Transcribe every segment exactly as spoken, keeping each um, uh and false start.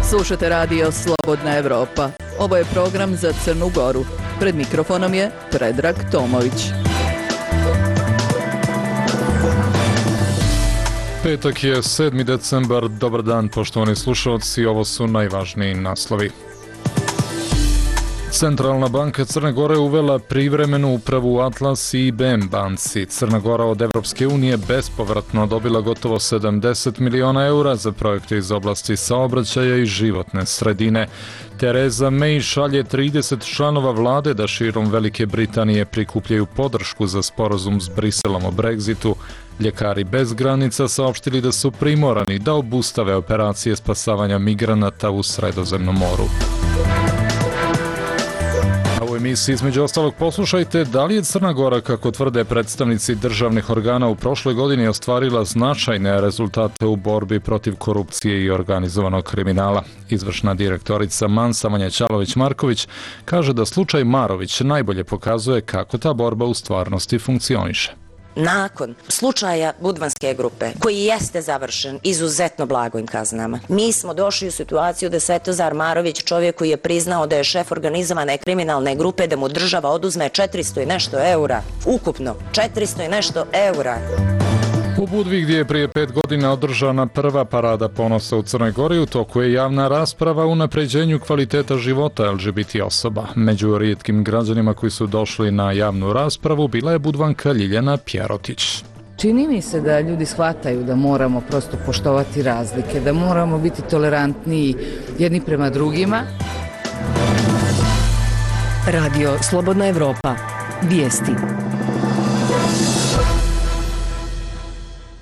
Slušate radio Slobodna Evropa. Ovo je program za Crnu Goru. Pred mikrofonom je Predrag Tomović. Petak je sedmi decembar. Dobar dan, poštovani slušalci. Ovo su najvažniji naslovi. Centralna banka Crne Gore uvela privremenu upravu Atlas i I B M banci. Crna Gora od Evropske unije bespovratno dobila gotovo sedamdeset miliona eura za projekte iz oblasti saobraćaja i životne sredine. Tereza May šalje trideset članova vlade da širom Velike Britanije prikupljaju podršku za sporazum s Briselom o Brexitu. Ljekari bez granica saopštili da su primorani da obustave operacije spasavanja migranata u Sredozemnom moru. U emisiji između ostalog poslušajte da li je Crna Gora, kako tvrde predstavnici državnih organa, u prošloj godini ostvarila značajne rezultate u borbi protiv korupcije i organizovanog kriminala. Izvršna direktorica Mansa Vanja Ćalović-Marković kaže da slučaj Marović najbolje pokazuje kako ta borba u stvarnosti funkcioniše. Nakon slučaja Budvanske grupe, koji jeste završen izuzetno blagojim kaznama, mi smo došli u situaciju da Svetozar Marović, čovjek koji je priznao da je šef organizovane kriminalne grupe, da mu država oduzme četiristo i nešto eura. Ukupno četiristo i nešto eura. U Budvi, gdje je prije pet godina održana prva parada ponosa u Crnoj Gori, u toku je javna rasprava o unapređenju kvaliteta života L G B T osoba. Među rijetkim građanima koji su došli na javnu raspravu bila je Budvanka Ljiljana Pjerotić. Čini mi se da ljudi shvataju da moramo prosto poštovati razlike, da moramo biti tolerantniji jedni prema drugima. Radio Slobodna Evropa. Vijesti.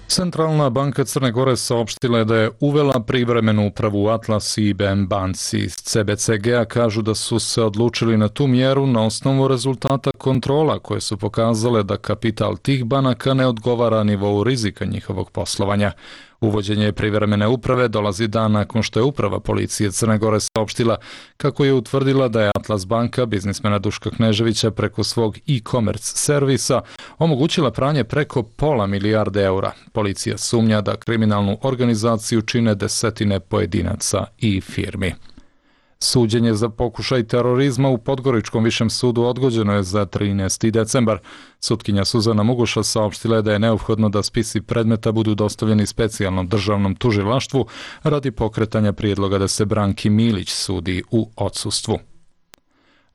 Centralna banka Crne Gore saopštila je da je uvela privremenu upravu Atlas i I B M banci. Iz C B C G-a kažu da su se odlučili na tu mjeru na osnovu rezultata kontrola koje su pokazale da kapital tih banaka ne odgovara nivou rizika njihovog poslovanja. Uvođenje privremene uprave dolazi dan nakon što je uprava policije Crne Gore saopštila kako je utvrdila da je Atlas banka biznismena Duška Kneževića preko svog e-commerce servisa omogućila pranje preko pola milijarde eura. Policija sumnja da kriminalnu organizaciju čine desetine pojedinaca i firmi. Suđenje za pokušaj terorizma u Podgoričkom višem sudu odgođeno je za trinaesti decembar. Sutkinja Suzana Muguša saopštila je da je neophodno da spisi predmeta budu dostavljeni specijalnom državnom tužilaštvu radi pokretanja prijedloga da se Branki Milić sudi u odsustvu.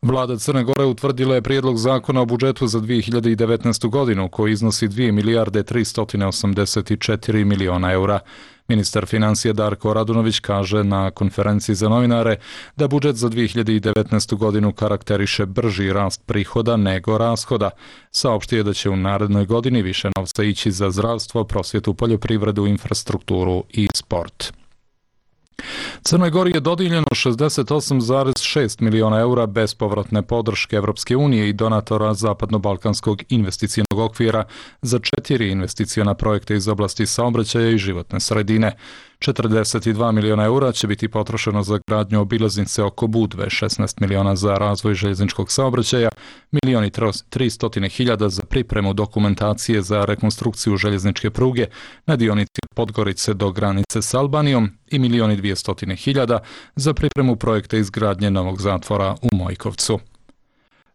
Vlada Crne Gore utvrdila je prijedlog zakona o budžetu za dvije hiljade devetnaestu. godinu koji iznosi dvije milijarde tristo osamdeset četiri miliona eura. Ministar financija Darko Radunović kaže na konferenciji za novinare da budžet za dvije hiljade devetnaestu. godinu karakteriše brži rast prihoda nego rashoda. Saopštio je da će u narednoj godini više novca ići za zdravstvo, prosvjetu, poljoprivredu, infrastrukturu i sport. Crnoj Gori je dodijeljeno šezdeset osam zarez šest miliona eura bespovratne podrške Evropske unije i donatora Zapadno-balkanskog investicionog okvira za četiri investiciona projekta iz oblasti saobraćaja i životne sredine. četrdeset dva miliona eura će biti potrošeno za gradnju obilaznice oko Budve, šesnaest miliona za razvoj željezničkog saobraćaja, milion i tristo hiljada za pripremu dokumentacije za rekonstrukciju željezničke pruge na dionici od Podgorice do granice s Albanijom i milion i dvjesto hiljada za pripremu projekta izgradnje novog zatvora u Mojkovcu.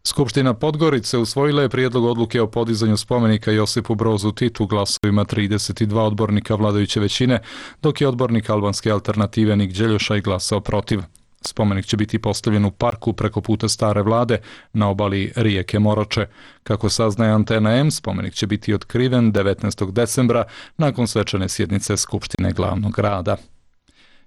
Skupština Podgorice usvojila je prijedlog odluke o podizanju spomenika Josipu Brozu Titu glasovima trideset dva odbornika vladajuće većine, dok je odbornik albanske alternative Nik Đeljoša i glasao protiv. Spomenik će biti postavljen u parku preko puta Stare Vlade na obali rijeke Moroče. Kako saznaje Antena M, spomenik će biti otkriven devetnaestog decembra nakon svečane sjednice Skupštine glavnog grada.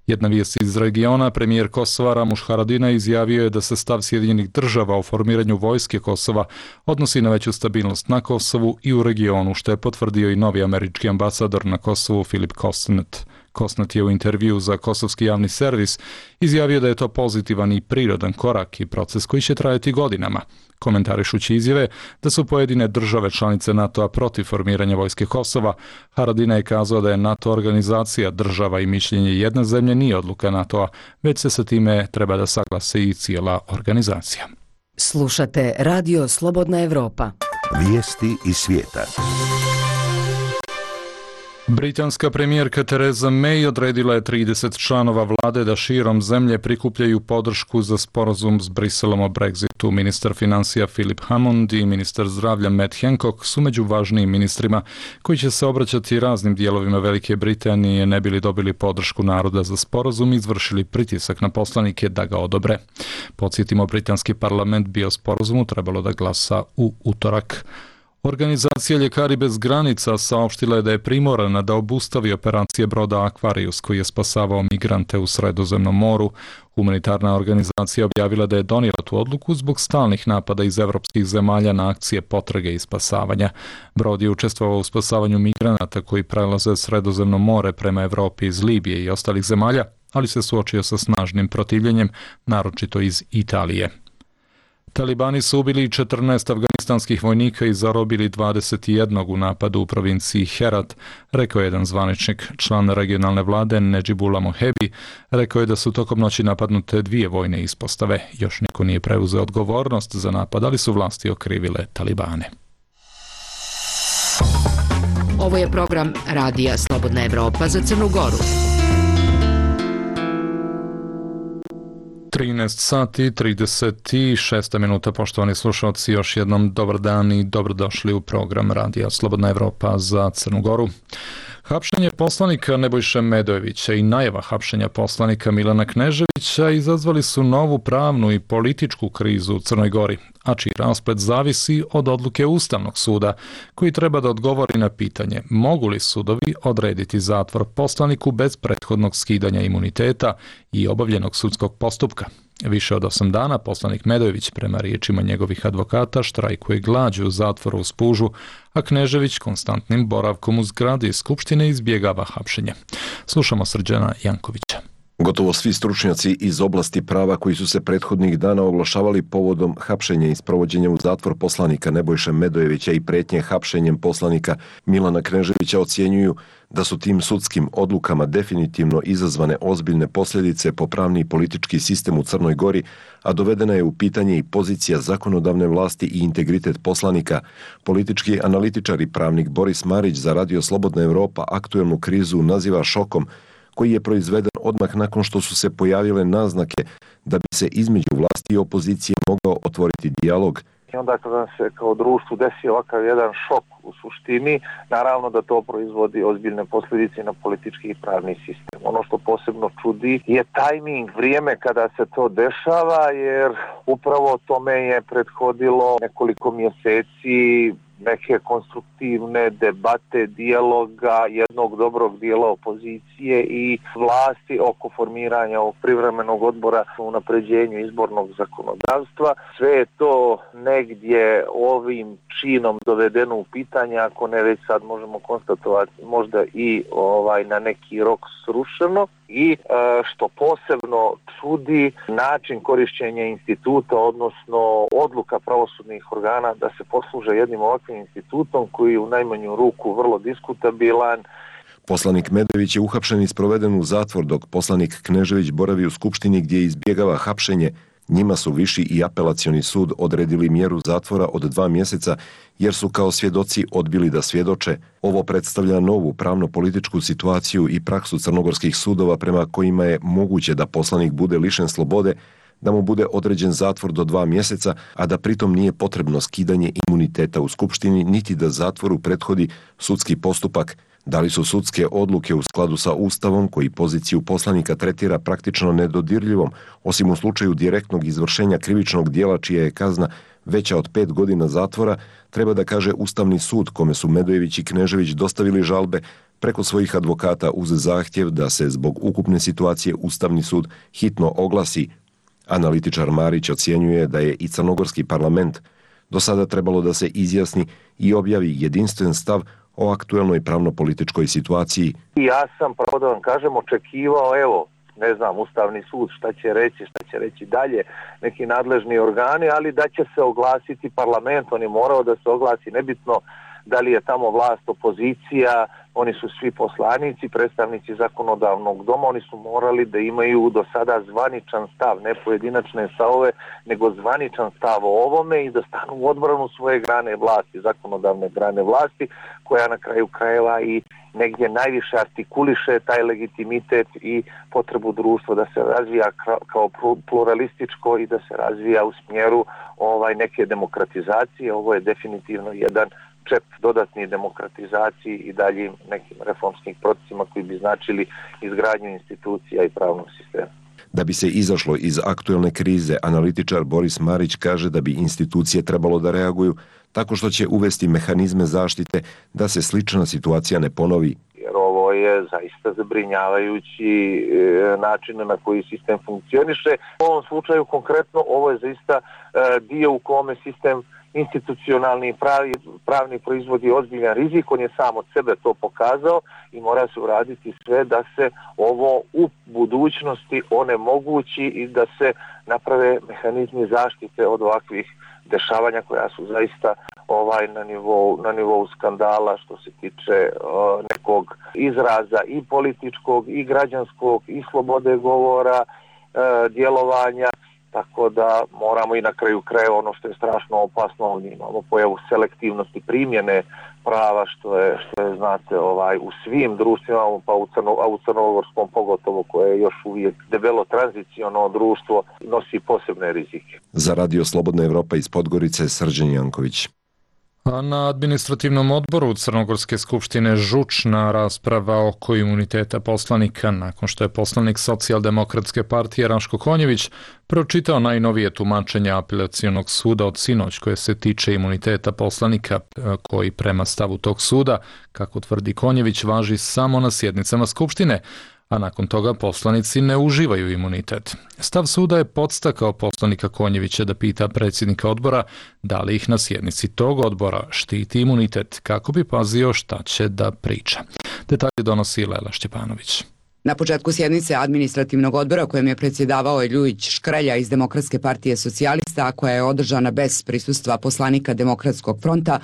Jedna vijest iz regiona, premijer Kosova Ramuš Haradinaj izjavio je da se stav Sjedinjenih država o formiranju vojske Kosova odnosi na veću stabilnost na Kosovu i u regionu, što je potvrdio i novi američki ambasador na Kosovu Filip Kosnet. Kosnet je u intervju za kosovski javni servis izjavio da je to pozitivan i prirodan korak i proces koji će trajati godinama. Komentarišući izjave da su pojedine države članice NATO-a protiv formiranja vojske Kosova, Haradinaj je kazao da je NATO organizacija država i mišljenje jedne zemlje nije odluka NATO-a, već se sa time treba da saglase i cijela organizacija. Slušate Radio Slobodna Evropa. Vijesti iz svijeta. Britanska premijerka Theresa May odredila je trideset članova vlade da širom zemlje prikupljaju podršku za sporazum s Briselom o Brexitu. Ministar financija Philip Hammond i ministar zdravlja Matt Hancock su među važnijim ministrima koji će se obraćati raznim dijelovima Velike Britanije ne bili dobili podršku naroda za sporazum i izvršili pritisak na poslanike da ga odobre. Podsjetimo, britanski parlament bi o sporazumu trebalo da glasa u utorak. Organizacija Ljekari bez granica saopštila je da je primorana da obustavi operacije broda Aquarius koji je spasavao migrante u Sredozemnom moru. Humanitarna organizacija objavila da je donijela tu odluku zbog stalnih napada iz evropskih zemalja na akcije potrage i spasavanja. Brod je učestvovao u spasavanju migranata koji prelaze Sredozemno more prema Evropi iz Libije i ostalih zemalja, ali se suočio sa snažnim protivljenjem, naročito iz Italije. Talibani su ubili četrnaest afganistanskih vojnika i zarobili dvadeset jednog u napadu u provinciji Herat, rekao je jedan zvaničnik. Član regionalne vlade Nedžibullah Mohebi rekao je da su tokom noći napadnute dvije vojne ispostave. Još niko nije preuzeo odgovornost za napad, ali su vlasti okrivile Talibane. Ovo je program Radija Slobodna Evropa za Crnu Goru. trinaest sati trideset šest minuta, poštovani slušalci, još jednom dobar dan i dobrodošli u program Radija Slobodna Evropa za Crnu Goru. Hapšenje poslanika Nebojše Medojevića i najava hapšenja poslanika Milana Kneževića izazvali su novu pravnu i političku krizu u Crnoj Gori, a čiji rasplet zavisi od odluke Ustavnog suda, koji treba da odgovori na pitanje mogu li sudovi odrediti zatvor poslaniku bez prethodnog skidanja imuniteta i obavljenog sudskog postupka. Više od osam dana poslanik Medojević, prema riječima njegovih advokata, štrajkuje glađu u zatvoru u Spužu, a Knežević konstantnim boravkom u zgradi Skupštine izbjegava hapšenje. Slušamo Srđana Jankovića. Gotovo svi stručnjaci iz oblasti prava koji su se prethodnih dana oglašavali povodom hapšenja i sprovođenja u zatvor poslanika Nebojše Medojevića i pretnje hapšenjem poslanika Milana Kneževića ocjenjuju da su tim sudskim odlukama definitivno izazvane ozbiljne posljedice po pravni i politički sistem u Crnoj Gori, a dovedena je u pitanje i pozicija zakonodavne vlasti i integritet poslanika. Politički analitičar i pravnik Boris Marić za Radio Slobodna Evropa aktuelnu krizu naziva šokom koji je proizveden odmah nakon što su se pojavile naznake da bi se između vlasti i opozicije mogao otvoriti dijalog. I onda kada nam se kao društvu desi ovakav jedan šok u suštini, naravno da to proizvodi ozbiljne posljedice na politički i pravni sistem. Ono što posebno čudi je tajming, vrijeme kada se to dešava, jer upravo tome je prethodilo nekoliko mjeseci neke konstruktivne debate, dijaloga jednog dobrog dijela opozicije i vlasti oko formiranja ovog privremenog odbora u unapređenju izbornog zakonodavstva. Sve je to negdje ovim činom dovedeno u pitanje, ako ne već sad možemo konstatovati možda i ovaj na neki rok srušeno. I što posebno čudi, način korišćenja instituta, odnosno odluka pravosudnih organa da se posluže jednim ovakvim institutom koji je u najmanju ruku vrlo diskutabilan. Poslanik Medojević je uhapšen i sproveden u zatvor, dok poslanik Knežević boravi u Skupštini gdje izbjegava hapšenje. Njima su viši i apelacioni sud odredili mjeru zatvora od dva mjeseca jer su kao svjedoci odbili da svjedoče. Ovo predstavlja novu pravno-političku situaciju i praksu crnogorskih sudova prema kojima je moguće da poslanik bude lišen slobode, da mu bude određen zatvor do dva mjeseca, a da pritom nije potrebno skidanje imuniteta u Skupštini, niti da zatvoru prethodi sudski postupak. Da li su sudske odluke u skladu sa Ustavom koji poziciju poslanika tretira praktično nedodirljivom, osim u slučaju direktnog izvršenja krivičnog dijela čija je kazna veća od pet godina zatvora, treba da kaže Ustavni sud kome su Medojević i Knežević dostavili žalbe preko svojih advokata uz zahtjev da se zbog ukupne situacije Ustavni sud hitno oglasi. Analitičar Marić ocjenjuje da je i crnogorski parlament do sada trebalo da se izjasni i objavi jedinstven stav o aktuelnoj pravno-političkoj situaciji. Ja sam, pravo da vam kažem, očekivao, evo, ne znam, Ustavni sud šta će reći, šta će reći dalje, neki nadležni organi, ali da će se oglasiti parlament, on je morao da se oglasi, nebitno da li je tamo vlast, opozicija, oni su svi poslanici, predstavnici zakonodavnog doma, oni su morali da imaju do sada zvaničan stav, ne pojedinačne stavove, nego zvaničan stav o ovome i da stanu u odbranu svoje grane vlasti, zakonodavne grane vlasti, koja na kraju krajeva i negdje najviše artikuliše taj legitimitet i potrebu društva da se razvija kao pluralističko i da se razvija u smjeru ovaj neke demokratizacije. Ovo je definitivno jedan čep dodatni demokratizaciji i daljim nekim reformskim procesima koji bi značili izgradnju institucija i pravnog sistema. Da bi se izašlo iz aktuelne krize, analitičar Boris Marić kaže da bi institucije trebalo da reaguju tako što će uvesti mehanizme zaštite da se slična situacija ne ponovi. Jer ovo je zaista zabrinjavajući način na koji sistem funkcioniše. U ovom slučaju konkretno ovo je zaista dio u kome sistem institucionalni pravi, pravni proizvodi ozbiljan rizik, on je sam od sebe to pokazao i mora se uraditi sve da se ovo u budućnosti onemogući i da se naprave mehanizmi zaštite od ovakvih dešavanja koja su zaista ovaj na nivou, na nivou skandala što se tiče uh, nekog izraza i političkog i građanskog i slobode govora, uh, djelovanja. Tako da moramo i na kraju krajeva ono što je strašno opasno, imamo pojavu selektivnosti primjene prava što je, što je znate, ovaj, u svim društvima, pa u, crno, a u crnogorskom pogotovo koje je još uvijek debelo tranziciono društvo, nosi posebne rizike. Za Radio Slobodna Evropa iz Podgorice, Srđan Janković. A na administrativnom odboru Crnogorske skupštine žučna rasprava oko imuniteta poslanika nakon što je poslanik Socijaldemokratske partije Raško Konjević pročitao najnovije tumačenje apelacionog suda od sinoć koje se tiče imuniteta poslanika koji prema stavu tog suda, kako tvrdi Konjević, važi samo na sjednicama skupštine, a nakon toga poslanici ne uživaju imunitet. Stav suda je podstakao poslanika Konjevića da pita predsjednika odbora da li ih na sjednici tog odbora štiti imunitet kako bi pazio šta će da priča. Detalje donosi Lela Šćepanović. Na početku sjednice administrativnog odbora kojem je predsjedavao Ljujić Škrelja iz Demokratske partije socijalista, koja je održana bez prisustva poslanika Demokratskog fronta,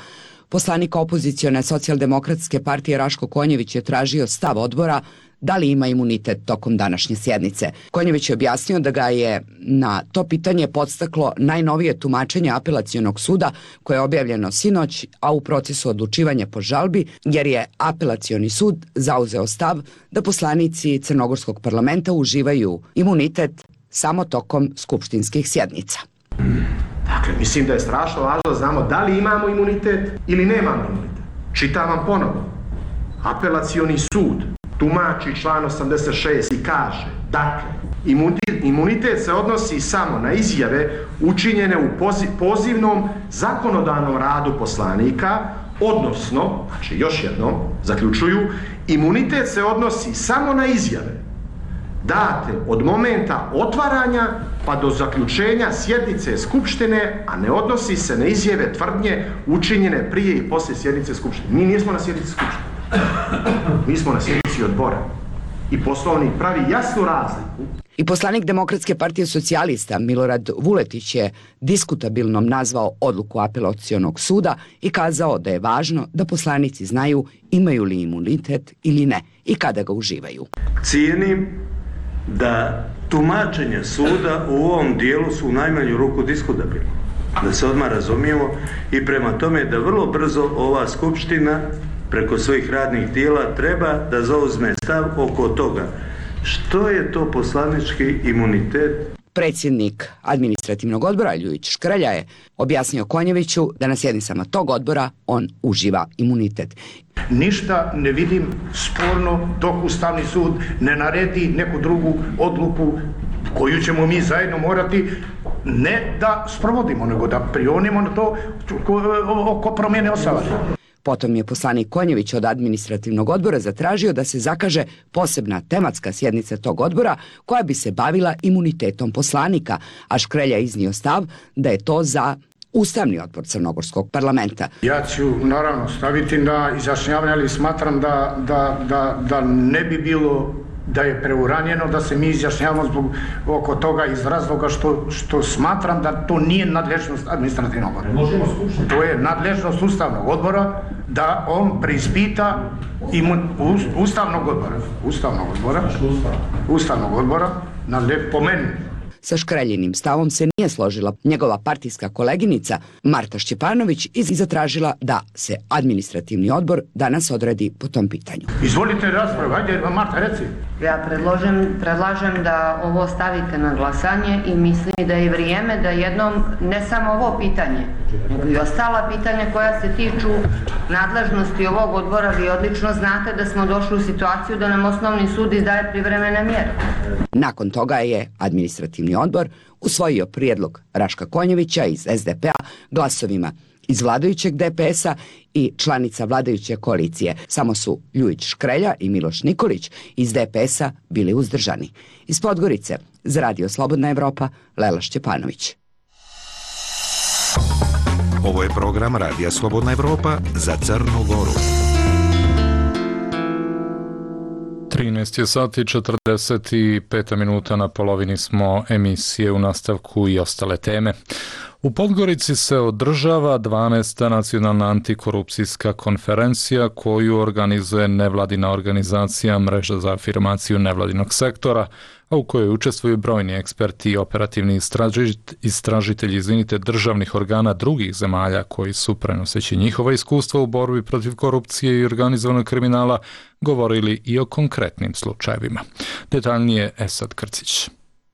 poslanika opozicione Socijaldemokratske partije Raško Konjević je tražio stav odbora da li ima imunitet tokom današnje sjednice. Konjević je objasnio da ga je na to pitanje podstaklo najnovije tumačenje apelacionog suda koje je objavljeno sinoć, a u procesu odlučivanja po žalbi, jer je apelacioni sud zauzeo stav da poslanici Crnogorskog parlamenta uživaju imunitet samo tokom skupštinskih sjednica. Dakle, mislim da je strašno važno da znamo da li imamo imunitet ili nemamo imunitet. Čitam vam ponovno. Apelacioni sud tumači član osamdeset šest i kaže, dakle, imunitet se odnosi samo na izjave učinjene u pozivnom zakonodavnom radu poslanika, odnosno, znači još jednom, zaključuju, imunitet se odnosi samo na izjave date od momenta otvaranja pa do zaključenja sjednice skupštine, a ne odnosi se na izjave tvrdnje učinjene prije i poslije sjednice skupštine. Mi nismo na sjednici skupštine. Mi smo na sjednici odbora. I Poslovnik pravi jasnu razliku. I poslanik Demokratske partije socijalista Milorad Vuletić je diskutabilnom nazvao odluku apelacionog suda i kazao da je važno da poslanici znaju imaju li imunitet ili ne i kada ga uživaju. Cijenim da tumačenje suda u ovom dijelu su u najmanju ruku diskutabilno. Da se odmah razumijemo i prema tome da vrlo brzo ova skupština preko svojih radnih tijela treba da zauzme stav oko toga što je to poslanički imunitet. Predsjednik administrativnog odbora Ljujić Škrelja je objasnio Konjeviću da na sjednicama tog odbora on uživa imunitet. Ništa ne vidim sporno dok Ustavni sud ne naredi neku drugu odluku koju ćemo mi zajedno morati ne da sprovodimo, nego da prionimo na to oko promjene Ustava. Potom je poslanik Konjević od administrativnog odbora zatražio da se zakaže posebna tematska sjednica tog odbora koja bi se bavila imunitetom poslanika, a Škrelja iznio stav da je to za Ustavni odbor Crnogorskog parlamenta. Ja ću naravno staviti na izjašnjavanje, ali smatram da, da, da, da ne bi bilo da je preuranjeno da se mi izjašnjavamo zbog oko toga iz razloga što, što smatram da to nije nadležnost administrativnog odbora. To je nadležnost ustavnog odbora da on preispita imun, ustavnog odbora. Ustavnog odbora. Ustavnog odbora, po meni. Sa Škreljinim stavom se nije složila njegova partijska koleginica Marta Šćepanović i zatražila da se administrativni odbor danas odredi po tom pitanju. Izvolite raspravu, ajde Marta, reci. Ja predložem, predlažem da ovo stavite na glasanje i mislim da je vrijeme da jednom, ne samo ovo pitanje, nego i ostala pitanja koja se tiču nadležnosti ovog odbora, vi odlično znate da smo došli u situaciju da nam osnovni sud izdaje privremene mjere. Nakon toga je administrativni odbor usvojio prijedlog Raška Konjevića iz es de pe a glasovima iz vladajućeg de pe es a i članica vladajuće koalicije. Samo su Ljujić Škrelja i Miloš Nikolić iz de pe es a bili uzdržani. Iz Podgorice, za Radio Slobodna Evropa, Lela Šćepanović. Ovo je program Radija Slobodna Evropa za Crnu Goru. trinaest je sati četrdeset pet minuta, na polovini smo emisije, u nastavku i ostale teme. U Podgorici se održava dvanaesta nacionalna antikorupcijska konferencija koju organizuje nevladina organizacija Mreža za afirmaciju nevladinog sektora, a u kojoj učestvuju brojni eksperti i operativni istražitelji izvinite, državnih organa drugih zemalja koji su, prenoseći njihova iskustva u borbi protiv korupcije i organizovanog kriminala, govorili i o konkretnim slučajevima. Detaljnije Esad Krcić.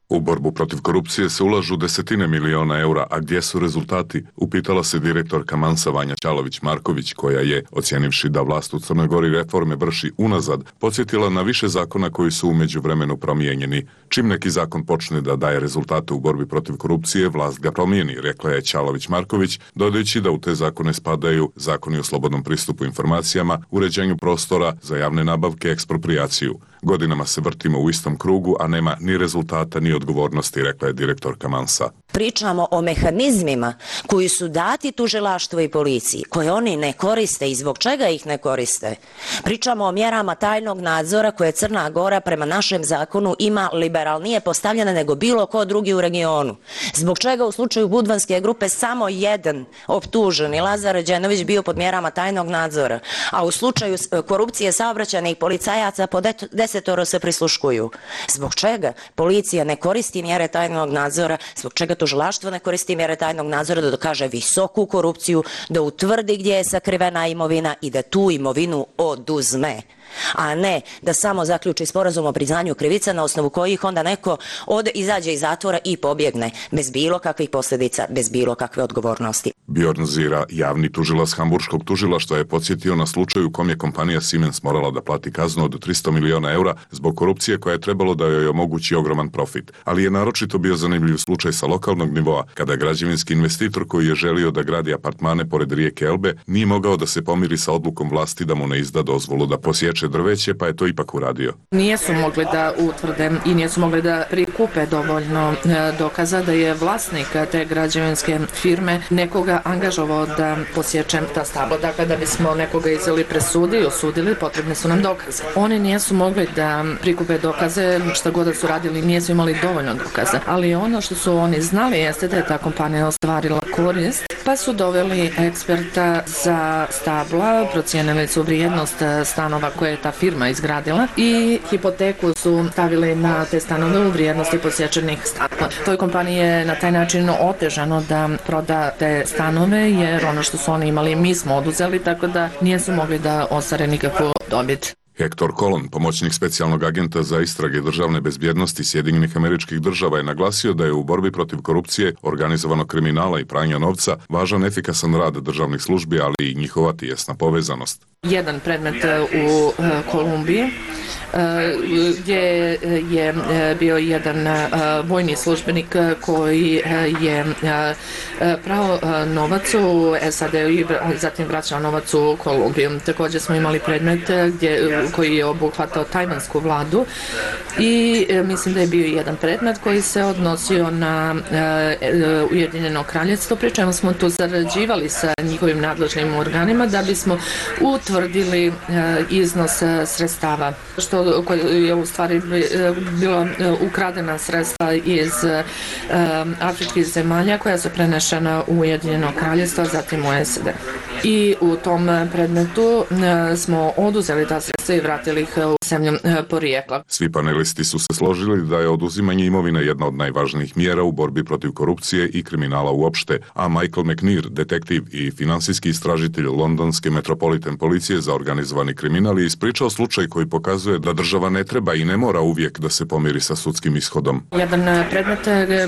U borbu protiv korupcije se ulažu desetine miliona eura, a gdje su rezultati? Upitala se direktorka Mansa Vanja Ćalović-Marković, koja je, ocjenivši da vlast u Crnoj Gori reforme vrši unazad, podsjetila na više zakona koji su u međuvremenu promijenjeni. Čim neki zakon počne da daje rezultate u borbi protiv korupcije, vlast ga promijeni, rekla je Ćalović-Marković, dodajući da u te zakone spadaju zakoni o slobodnom pristupu informacijama, uređenju prostora za javne nabavke, eksproprijaciju. Godinama se vrtimo u istom krugu, a nema ni rezultata ni odgovornosti, rekla je direktorka Mansa. Pričamo o mehanizmima koji su dati tužilaštvu i policiji, koje oni ne koriste i zbog čega ih ne koriste. Pričamo o mjerama tajnog nadzora koje Crna Gora prema našem zakonu ima liberalnije postavljene nego bilo ko drugi u regionu. Zbog čega u slučaju Budvanske grupe samo jedan optuženi, Lazar Đenović, bio pod mjerama tajnog nadzora, a u slučaju korupcije saobraćajnih policajaca po desetoro se prisluškuju. Zbog čega policija ne koristi mjere tajnog nadzora, zbog čega tužilaštvo ne koristi mjere tajnog nadzora da dokaže visoku korupciju, da utvrdi gdje je sakrivena imovina i da tu imovinu oduzme, a ne da samo zaključi sporazum o priznanju krivica na osnovu kojih onda neko ode, izađe iz zatvora i pobjegne bez bilo kakvih posljedica, bez bilo kakve odgovornosti. Bjorn Zira, javni tužilac Hamburškog tužilaštva, je podsjetio na slučaju u kom je kompanija Siemens morala da plati kaznu od tristo miliona eura zbog korupcije koja je trebalo da joj omogući ogroman profit. Ali je naročito bio zanimljiv slučaj sa lokalnog nivoa, kada građevinski investitor koji je želio da gradi apartmane pored rijeke Elbe nije mogao da se pomiri sa odlukom vlasti da mu ne izda dozvolu da posječe drveće, pa je to ipak uradio. Nijesu mogli da utvrde i nijesu mogli da prikupe dovoljno dokaza da je vlasnik te građevinske firme nekoga angažovao da posječe ta stabla. Dakle, da bismo nekoga izveli presudi i osudili, potrebne su nam dokaze. Oni nijesu mogli da prikupe dokaze, šta god da su radili, nijesu imali dovoljno dokaza. Ali ono što su oni znali jeste da je ta kompanija ostvarila korist, pa su doveli eksperta za stabla, procijenili su vrijednost stanova koje je ta firma izgradila i hipoteku su stavili na te stanove u vrijednosti posjećenih stanova. Toj kompaniji je na taj način otežano da proda te stanove, jer ono što su oni imali mi smo oduzeli, tako da nijesu mogli da ostvare nikakvu dobit. Hector Colon, pomoćnik specijalnog agenta za istrage državne bezbjednosti Sjedinjenih Američkih Država, je naglasio da je u borbi protiv korupcije, organizovanog kriminala i pranja novca važan efikasan rad državnih službi, ali i njihova tijesna povezanost. Jedan predmet u Kolumbiji gdje je bio jedan vojni službenik koji je prao novac u es a de i zatim vraćao novac u Kolumbiju. Također smo imali predmet gdje, koji je obuhvatao tajvansku vladu i mislim da je bio jedan predmet koji se odnosio na Ujedinjeno kraljevstvo, pri čemu smo tu zarađivali sa njihovim nadležnim organima da bismo utvrdili iznos sredstava. Što društvo koje je u stvari bilo ukradena sredstva iz afričkih zemalja koja su prenešena u Ujedinjeno kraljevstvo, zatim u S A D. I u tom predmetu smo oduzeli ta sredstva i vratili ih u zemlju porijekla. Svi panelisti su se složili da je oduzimanje imovine jedna od najvažnijih mjera u borbi protiv korupcije i kriminala uopšte, a Michael McNear, detektiv i finansijski istražitelj londonske Metropolitan policije za organizovani kriminal, je ispričao slučaj koji pokazuje da država ne treba i ne mora uvijek da se pomiri sa sudskim ishodom. Jedan predmet,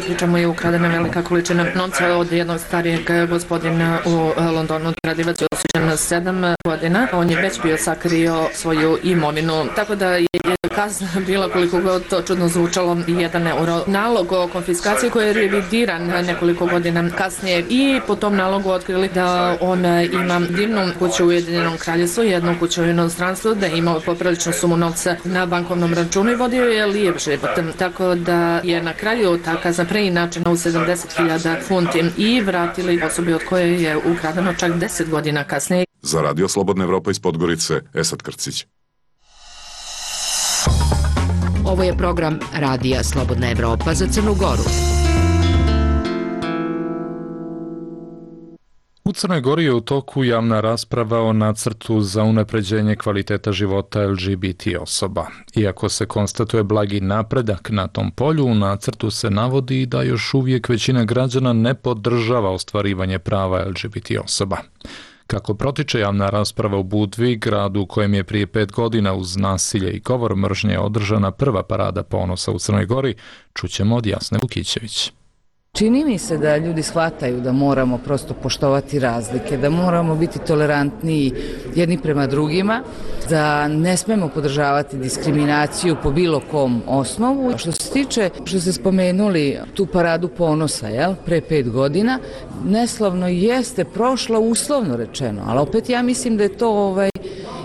pričamo, je ukradena velika količina novca od jednog starijeg gospodina u Londonu. Kradivac je osuđen na sedam godina. On je već bio sakrio svoju imovinu, tako da je kazna bila, koliko god to čudno zvučalo, jedan euro. Nalog o konfiskaciji koji je revidiran nekoliko godina kasnije i po tom nalogu otkrili da on ima divnu kuću u Ujedinjenom kraljevstvu, jednu kuću u inostranstvu, da je imao popriličnu sumu novca na bankovnom računu i vodio je lijep život. Tako da je na kraju ta kazna preinačena u sedamdeset hiljada funti i vratili osobi od koje je ukradeno čak deset godina kasnije. Za Radio Slobodna Evropa iz Podgorice, Esad Krcić. Ovo je program Radija Slobodna Evropa za Crnu Goru. U Crnoj Gori je u toku javna rasprava o nacrtu za unapređenje kvaliteta života L G B T osoba. Iako se konstatuje blagi napredak na tom polju, u nacrtu se navodi da još uvijek većina građana ne podržava ostvarivanje prava L G B T osoba. Kako protiče javna rasprava u Budvi, gradu u kojem je prije pet godina uz nasilje i govor mržnje održana prva parada ponosa u Crnoj Gori, čućemo od Jasne Vukićević. Čini mi se da ljudi shvataju da moramo prosto poštovati razlike, da moramo biti tolerantniji jedni prema drugima, da ne smemo podržavati diskriminaciju po bilo kom osnovu. Što se tiče, što ste spomenuli, tu paradu ponosa, jel, pre pet godina, neslavno jeste prošla, uslovno rečeno, ali opet ja mislim da je to ovaj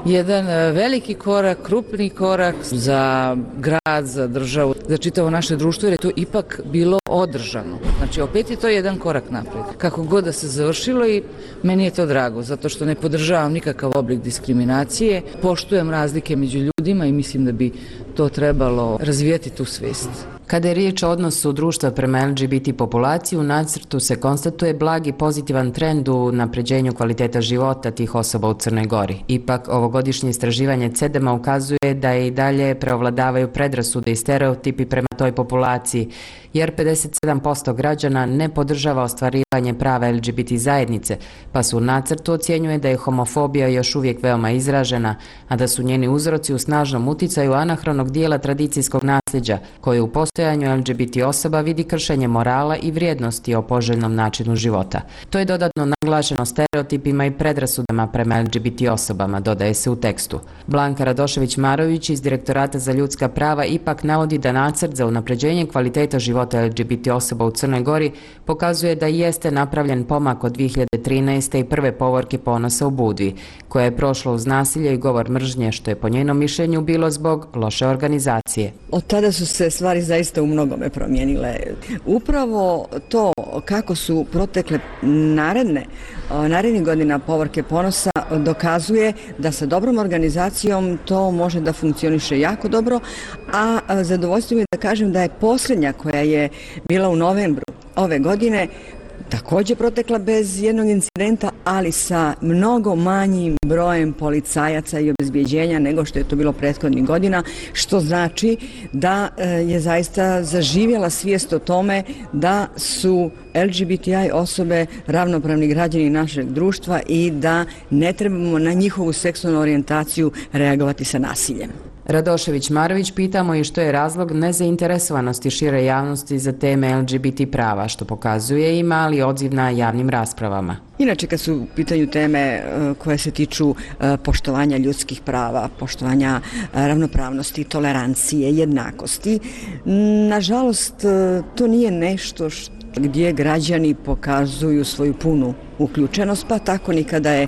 jedan veliki korak, krupni korak za grad, za državu, za čitavo naše društvo, jer je to ipak bilo održano. Znači, opet je to jedan korak naprijed. Kako god da se završilo, i meni je to drago, zato što ne podržavam nikakav oblik diskriminacije, poštujem razlike među ljudima i mislim da bi to trebalo razvijati tu svijest. Kada je riječ o odnosu društva prema L G B T populaciji, u nacrtu se konstatuje blagi pozitivan trend u napređenju kvaliteta života tih osoba u Crnoj Gori. Ipak, ovogodišnje istraživanje C E D E M-a ukazuje da i dalje preovladavaju predrasude i stereotipi prema toj populaciji, jer pedeset sedam posto građana ne podržava ostvarivanje prava L G B T zajednice, pa su u nacrtu ocjenjuje da je homofobija još uvijek veoma izražena, a da su njeni uzroci u snažnom uticaju anahronog dijela tradicijskog nasljeđa, koje u postojanju L G B T osoba vidi kršenje morala i vrijednosti o poželjnom načinu života. To je dodatno naglašeno stereotipima i predrasudama prema L G B T osobama, dodaje se u tekstu. Blanka Radošević-Marović iz Direktorata za ljudska prava ipak navodi da nacrt za unapređenje kvaliteta života L G B T osoba u Crnoj Gori pokazuje da jeste napravljen pomak od dvije hiljade trinaeste i prve povorke ponosa u Budvi, koja je prošla uz nasilje i govor mržnje, što je po njenom mišljenju bilo zbog loše organizacije. Od tada su se stvari zaista u mnogome promijenile. Upravo to kako su protekle naredne, narednih godina povorke ponosa dokazuje da sa dobrom organizacijom to može da funkcioniše jako dobro, a zadovoljstvo mi je da kažem da je posljednja koja je bila u novembru ove godine također protekla bez jednog incidenta, ali sa mnogo manjim brojem policajaca i obezbjeđenja nego što je to bilo prethodnih godina, što znači da je zaista zaživjela svijest o tome da su L G B T I osobe ravnopravni građani našeg društva i da ne trebamo na njihovu seksualnu orijentaciju reagovati sa nasiljem. Radošević-Marović pitamo i što je razlog nezainteresovanosti šire javnosti za teme L G B T prava, što pokazuje i mali odziv na javnim raspravama. Inače, kad su u pitanju teme koje se tiču poštovanja ljudskih prava, poštovanja ravnopravnosti, tolerancije, jednakosti, nažalost, to nije nešto što gdje građani pokazuju svoju punu uključenost, pa tako ni kada je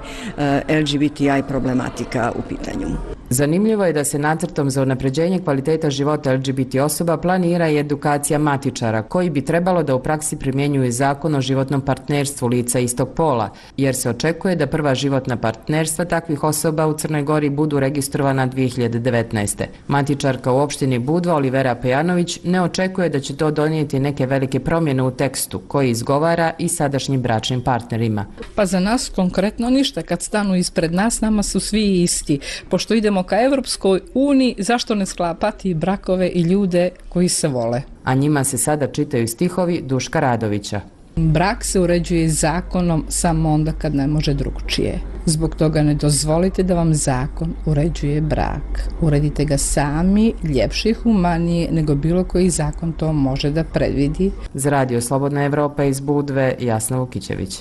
L G B T I problematika u pitanju. Zanimljivo je da se nacrtom za unapređenje kvaliteta života L G B T osoba planira i edukacija matičara, koji bi trebalo da u praksi primjenjuju zakon o životnom partnerstvu lica istog pola, jer se očekuje da prva životna partnerstva takvih osoba u Crnoj Gori budu registrovana dvije hiljade devetnaeste. Matičarka u opštini Budva Olivera Pejanović ne očekuje da će to donijeti neke velike promjene u tekstu koji izgovara i sadašnjim bračnim partnerima. Pa za nas konkretno ništa. Kad stanu ispred nas, nama su svi isti. Pošto idemo ka Evropskoj uniji, zašto ne sklapati brakove i ljude koji se vole? A njima se sada čitaju stihovi Duška Radovića. Brak se uređuje zakonom samo onda kad ne može drugčije. Zbog toga ne dozvolite da vam zakon uređuje brak. Uredite ga sami, ljepše i humanije nego bilo koji zakon to može da predvidi. Za Radio Slobodna Evropa iz Budve, Jasna Vukićević.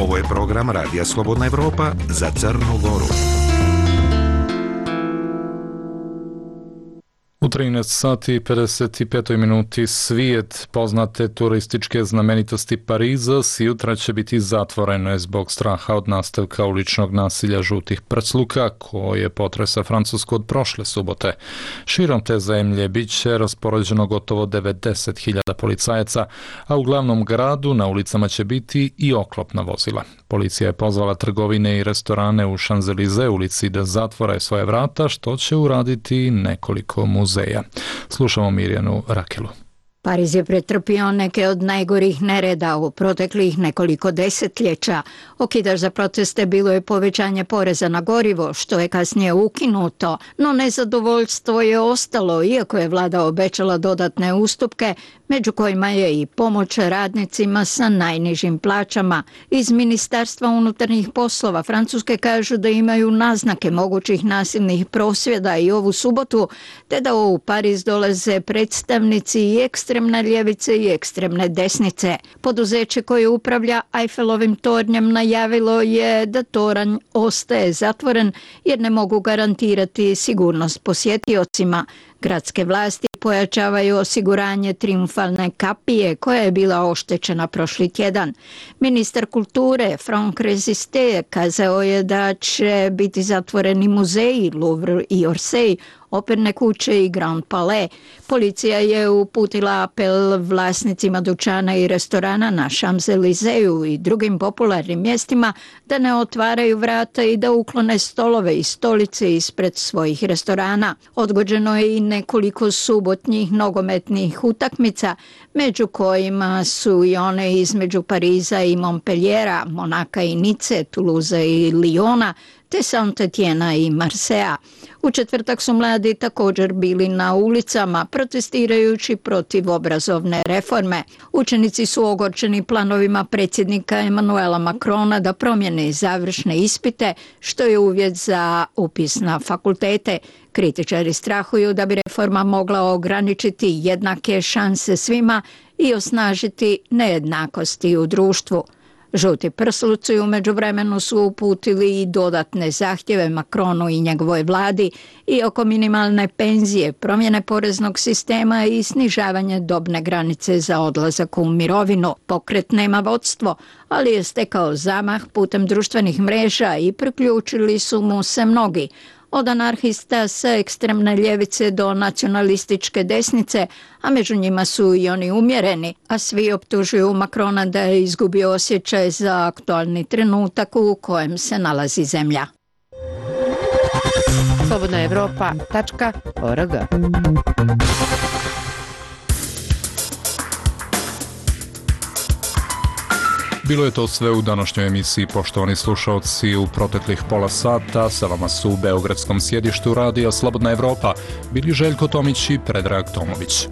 Ovo je program Radija Slobodna Evropa za Crnu Goru. U trinaest sati i pedeset pet minuti svijet poznate turističke znamenitosti Pariza sjutra će biti zatvorene zbog straha od nastavka uličnog nasilja žutih prcluka koje potresa Francusku od prošle subote. Širom te zemlje bit će raspoređeno gotovo devedeset hiljada policajaca, a u glavnom gradu na ulicama će biti i oklopna vozila. Policija je pozvala trgovine i restorane u Champs-Élysées ulici da zatvore svoje vrata, što će uraditi nekoliko muzeja. Slušamo Mirjanu Rakelu. Pariz je pretrpio neke od najgorih nereda u proteklih nekoliko desetljeća. Okidač za proteste bilo je povećanje poreza na gorivo, što je kasnije ukinuto, no nezadovoljstvo je ostalo, iako je vlada obećala dodatne ustupke, među kojima je i pomoć radnicima sa najnižim plaćama. Iz Ministarstva unutarnjih poslova Francuske kažu da imaju naznake mogućih nasilnih prosvjeda i ovu subotu, te da u Pariz dolaze predstavnici i ekstremne ljevice i ekstremne desnice. Poduzeće koje upravlja Eiffelovim tornjem najavilo je da toranj ostaje zatvoren jer ne mogu garantirati sigurnost posjetiocima. Gradske vlasti pojačavaju osiguranje trijumfalne kapije koja je bila oštećena prošli tjedan. Ministar kulture Franck Resisté kazao je da će biti zatvoreni muzeji Louvre i Orsay, operne kuće i Grand Palais. Policija je uputila apel vlasnicima dućana i restorana na Champs-Élysées i drugim popularnim mjestima da ne otvaraju vrata i da uklone stolove i stolice ispred svojih restorana. Odgođeno je i nekoliko subotnjih nogometnih utakmica, među kojima su i one između Pariza i Montpelliera, Monaka i Nice, Toulouse i Lyona, te Saint-Étienne i Marseja. U četvrtak su mladi također bili na ulicama protestirajući protiv obrazovne reforme. Učenici su ogorčeni planovima predsjednika Emmanuela Macrona da promijene završne ispite, što je uvjet za upis na fakultete. Kritičari strahuju da bi reforma mogla ograničiti jednake šanse svima i osnažiti nejednakosti u društvu. Žuti prsluci u međuvremenu su uputili i dodatne zahtjeve Macronu i njegovoj vladi i oko minimalne penzije, promjene poreznog sistema i snižavanje dobne granice za odlazak u mirovinu. Pokret nema vodstvo, ali je stekao zamah putem društvenih mreža i priključili su mu se mnogi. Od anarhista sa ekstremne ljevice do nacionalističke desnice, a među njima su i oni umjereni, a svi optužuju Macrona da je izgubio osjećaj za aktualni trenutak u kojem se nalazi zemlja. slobodna evropa tačka org. Bilo je to sve u današnjoj emisiji, poštovani slušalci. U proteklih pola sata sa vama su u beogradskom sjedištu Radija Slobodna Evropa bili Željko Tomić i Predrag Tomović.